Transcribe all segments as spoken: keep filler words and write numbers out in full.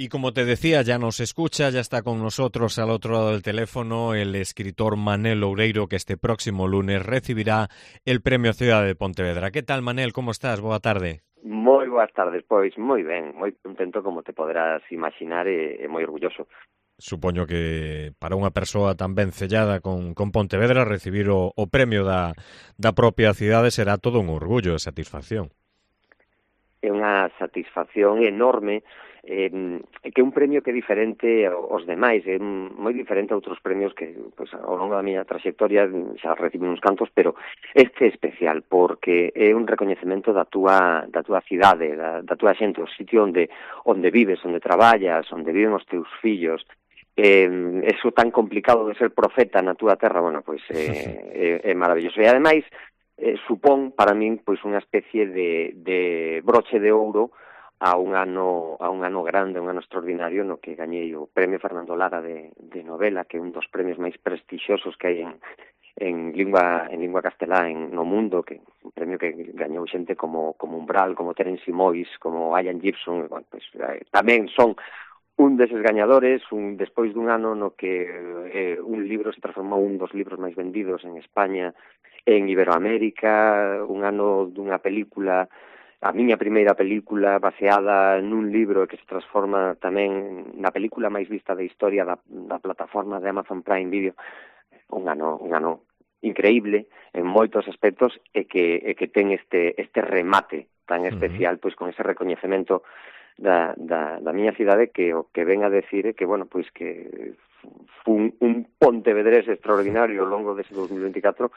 Y como te decía, ya nos escucha, ya está con nosotros al otro lado del teléfono el escritor Manel Loureiro, que este próximo lunes recibirá el Premio Ciudad de Pontevedra. ¿Qué tal, Manel? ¿Cómo estás? Boa tarde. Moi boas tardes, pois moi ben, moi contento como te poderás imaginar e, e moi orgulloso. Supoño que para unha persoa tan ben sellada con, con Pontevedra recibir o, o premio da, da propia cidade será todo un orgullo e satisfacción. É unha satisfacción enorme, eh, que é un premio que é diferente aos demais, é moi diferente a outros premios que pues, ao longo da miña trayectoria xa recibí uns cantos, pero este é especial porque é un recoñecemento da túa, da túa cidade, da, da túa xente, o sitio onde, onde vives, onde traballas, onde viven os teus fillos. Eh, eso tan complicado de ser profeta na túa terra, bueno, pois eh, é, é maravilloso. E ademais, eh, supón para min pois unha especie de, de broche de ouro a un ano a un ano grande, un ano extraordinario no que gañei o Premio Fernando Lara de, de novela, que é un dos premios máis prestixiosos que hai en, en lingua en lingua castelá en no mundo, que un premio que gañou xente como como Umbral, como Terence Mois, como Ian Gibson, bueno, pues, eh, tamén son un deses gañadores, un despois dun ano no que eh, un libro se transformou un dos libros máis vendidos en España, en Iberoamérica, un ano dunha película, a miña primeira película baseada nun libro que se transforma tamén na película máis vista da historia da, da plataforma de Amazon Prime Video, un ano, un ano increíble en moitos aspectos e que, e que ten este, este remate tan especial, pois con ese recoñecemento Da, da, da miña cidade que o que ven a decir é que, bueno, pois que fun un pontevedrés extraordinario ao longo dese dos mil veinticuatro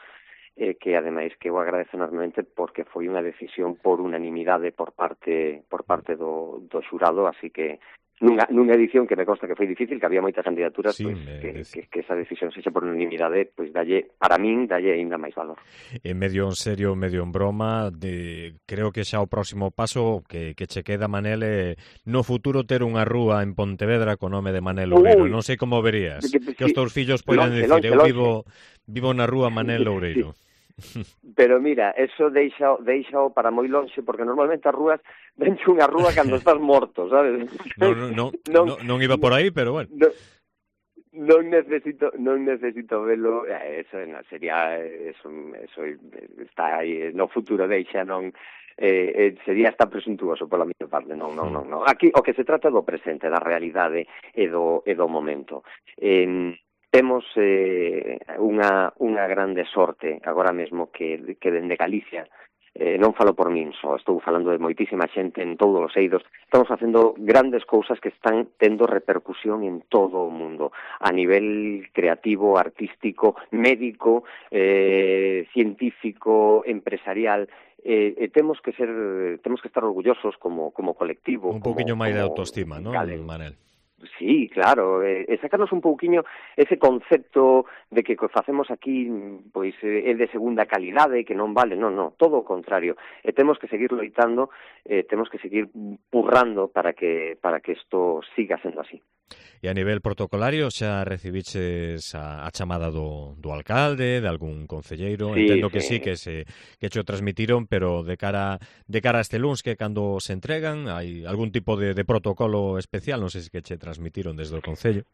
e eh, que, ademais, que eu agradezo enormemente porque foi unha decisión por unanimidade por parte por parte do, do xurado, así que nunha, nunha edición que me consta que foi difícil, que había moitas candidaturas, Sí, pois, me... que, que, que esa decisión sexa por unanimidade, pois dalle, para min, dalle ainda máis valor. En medio en serio, medio en broma, de, creo que xa o próximo paso que, que che queda, Manel, é no futuro ter unha rúa en Pontevedra co nome de Manel Loureiro. Non sei como verías, que, que, que os teus fillos poden decir, longe, eu longe. vivo vivo na rúa Manel Loureiro. Sí. Pero mira, eso deixa, deixa para moi lonxe, porque normalmente as rúas venche unha rúa cando estás morto, sabes? Non, non, non, non, non iba por aí, pero bueno. Non, non necesito, non necesito velo, eso sería, eso, eso está aí no futuro, deixa, non, eh, eh, sería hasta presuntuoso pola miña parte, non, non, non, non. Aquí o que se trata é do presente, da realidade e do, e do momento. Eh, Temos eh, unha, unha grande sorte agora mesmo que, que dende Galicia, eh, non falo por min só, estou falando de moitísima xente en todos os eidos, estamos facendo grandes cousas que están tendo repercusión en todo o mundo, a nivel creativo, artístico, médico, eh, científico, empresarial. Eh, eh, temos que ser, temos que estar orgullosos como, como colectivo. Un pouquiño máis de como autoestima, non, Manel? Sí, claro, e eh, sacarnos un pouquiño ese concepto de que o que facemos aquí pois é de segunda calidade, que non vale, non, non, todo o contrario. E temos que seguir loitando, eh, temos que seguir purrando para que para que isto siga sendo así. E a nivel protocolario xa recibiches a, a chamada do, do alcalde, de algún concelleiro? Sí, Entendo sí. que sí, que se que cho transmitiron, pero de cara de cara a este luns, que cando se entregan, hai algún tipo de, de protocolo especial, non sei se que che transmitiron desde o concello.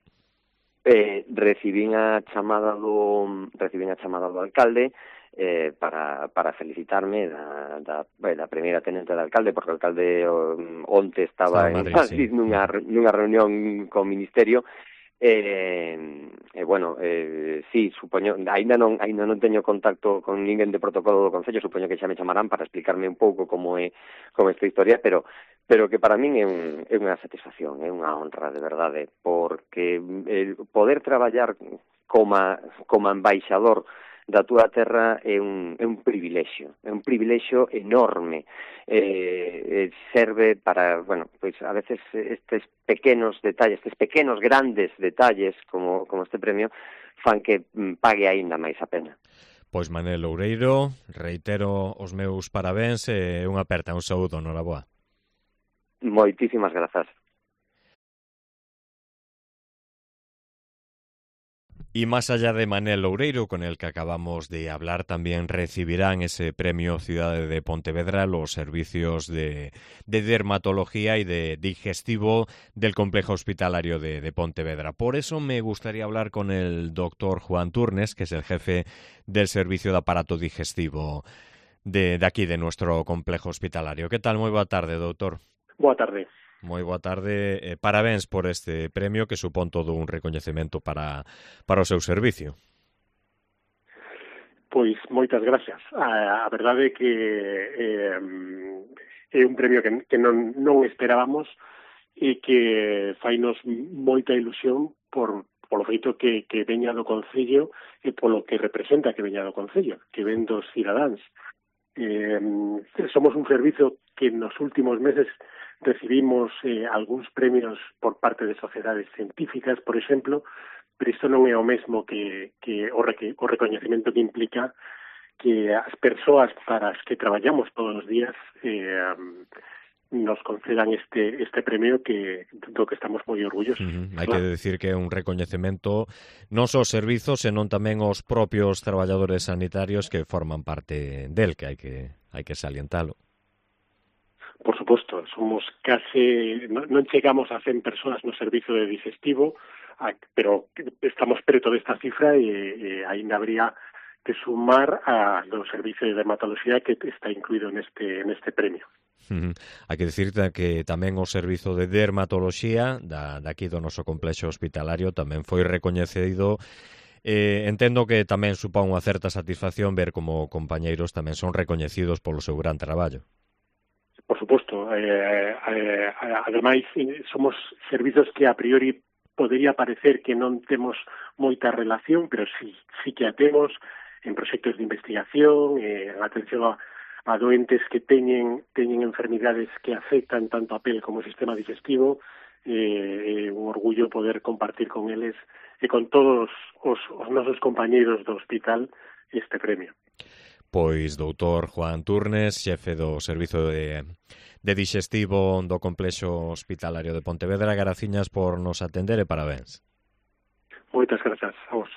Eh, recibín a chamada do recibín a chamada do alcalde eh, para, para felicitarme da, da, da primeira tenente do alcalde, porque o alcalde onte estaba, estaba en Madrid, Madrid sí. nunha, nunha reunión co Ministerio. E, eh, bueno, eh, sí, supoño, ainda non, ainda non teño contacto con ninguén de protocolo do Concello, supoño que xa me chamarán para explicarme un pouco como é como esta historia, pero pero que para min é, un, é unha satisfacción, é unha honra, de verdade, porque el poder traballar como, como embaixador da túa terra é un, é un privilexio, é un privilexio enorme. Eh, serve para, bueno, pois a veces estes pequenos detalles, estes pequenos grandes detalles como, como este premio fan que pague aínda máis a pena. Pois Manel Loureiro, reitero os meus parabéns e unha aperta, un saúdo, noraboa. Moitísimas grazas. Y más allá de Manel Loureiro, con el que acabamos de hablar, también recibirán ese premio Ciudad de Pontevedra los servicios de, de dermatología y de digestivo del complejo hospitalario de, de Pontevedra. Por eso me gustaría hablar con el doctor Juan Turnes, que es el jefe del servicio de aparato digestivo de, de aquí, de nuestro complejo hospitalario. ¿Qué tal? Muy boa tarde, doutor. Boa tarde. Moi boa tarde. Eh, parabéns por este premio que supón todo un recoñecemento para, para o seu servicio. Pois moitas gracias. A, a verdade é que eh, é un premio que, que non, non esperábamos e que fainos moita ilusión por polo feito que, que veña do Concello e polo que representa que veña do Concello, que ven dos cidadáns. Eh, somos un servizo que nos últimos meses recibimos eh, algúns premios por parte de sociedades científicas, por exemplo, pero isto non é o mesmo que, que o, re, o recoñecemento que implica que as persoas para as que traballamos todos os días eh, nos concedan este este premio que do que estamos moi orgullosos. Uh-huh. Hai claro. que decir que é un recoñecemento non só aos servizos, senón tamén aos propios traballadores sanitarios que forman parte del, que hai que hai que salientalo. Por suposto, somos case, non, non chegamos a cen persoas no servizo de digestivo, a, pero estamos preto desta cifra e, e ainda habría que sumar a do servicio de dermatología que está incluído neste neste premio. Uh-huh. Hai que dicir que tamén o servizo de dermatoloxía da, daqui do noso complexo hospitalario tamén foi recoñecido. Eh, entendo que tamén supón unha certa satisfacción ver como compañeiros tamén son recoñecidos polo seu gran traballo. Por suposto, eh, eh, ademais somos servizos que a priori podería parecer que non temos moita relación, pero sí, sí que a temos en proxectos de investigación, eh, en atención a, a doentes que teñen, teñen enfermidades que afectan tanto a pel como o sistema digestivo, eh, un orgullo poder compartir con eles e con todos os, os nosos compañeiros do hospital este premio. Pois doutor Juan Turnes, xefe do Servizo de, de Digestivo do Complexo Hospitalario de Pontevedra, graciñas por nos atender e parabéns. Moitas grazas a vos.